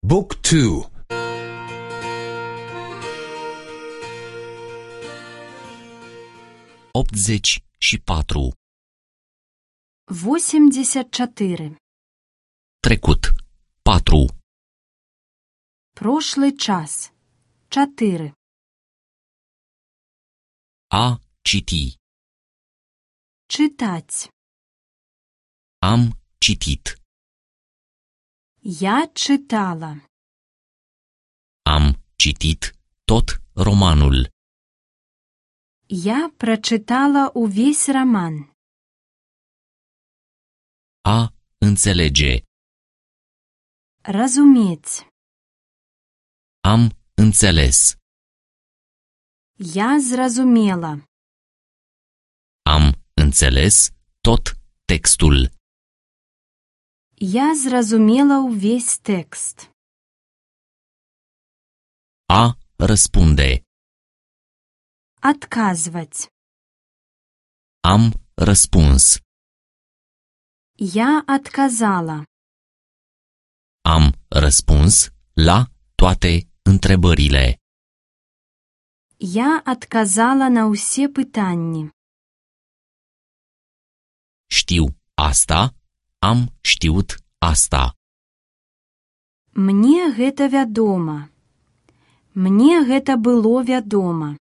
Book 2. 84. 84. Trecut. 4. Прошлый час. 4. A citi. Читать. Am citit. Я читала. Am citit tot romanul. Я прочитала увесь роман. A înțelege. Разуметь. Am înțeles. Я зразумела. Am înțeles tot textul. Я зразумела увесь текст. A răspunde. Отказывать. Am răspuns. Я отказала. Am răspuns la toate întrebările. Я отказала на усе пытанні. Știu asta, am știut asta. Мне гэта вядома. Мне гэта было вядома.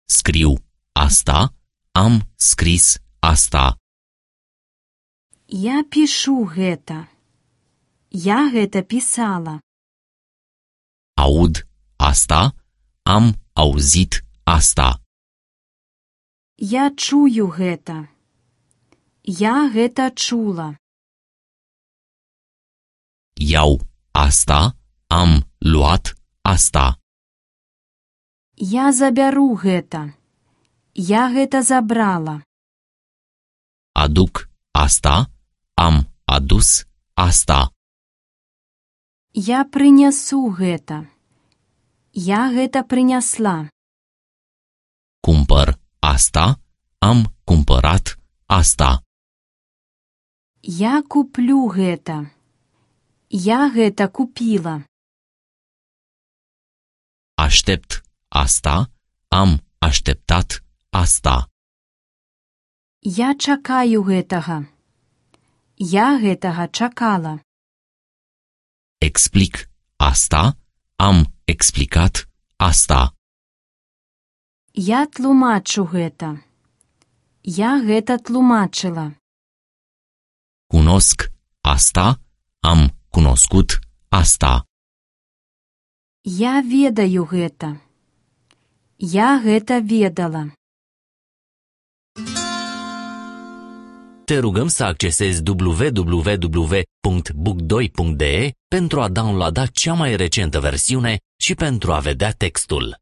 Scriu asta, am scris asta. Я пишу гэта. Я гэта писала. Aud asta, am auzit asta. Я чую гэта. Я гэта чула. Iau asta, am luat asta. Я забяру гэта. Я гэта забрала. Aduc asta, am adus asta. Я прынясу гэта. Я гэта прынясла. Cumpăr asta, am cumpărat asta. Я куплю гэта. Я гэта купила. Aștept asta, am așteptat asta. Я чакаю гэтага. Я гэтага чакала. Explic asta, am explicat asta. Я тлумачу гэта. Я гэта тлумачыла. Cunosc asta, am cunoscut asta. Я ведаю гэта. Я гэта ведала. Te rugăm să accesezi www.book2.de pentru a downloada cea mai recentă versiune și pentru a vedea textul.